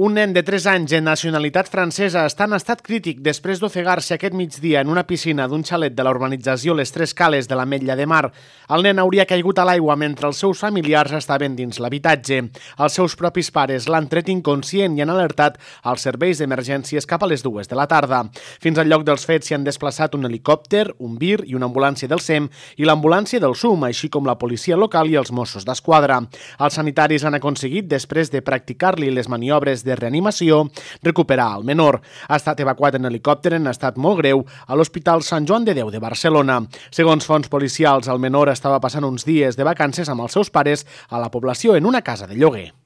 Un nen de 3 anys de nacionalitat francesa està en estat crític després d'ofegar-se aquest migdia en una piscina d'un xalet de la urbanització Les Tres Cales de l'Ametlla de Mar. El nen hauria caigut a l'aigua mentre els seus familiars estaven dins l'habitatge. Els seus propis pares l'han tret inconscient i han alertat als serveis d'emergències cap a les 2 de la tarda. Fins al lloc dels fets s'hi han desplaçat un helicòpter, un VIR i una ambulància del SEM i l'ambulància del SUM, així com la policia local i els Mossos d'Esquadra. Els sanitaris han aconseguit, després de practicar-li les maniobres de reanimació, recuperar el menor. Ha estat evacuat en helicòpter en estat molt greu a l'Hospital Sant Joan de Déu de Barcelona. Segons fonts policials, el menor estava passant uns dies de vacances amb els seus pares a la població en una casa de lloguer.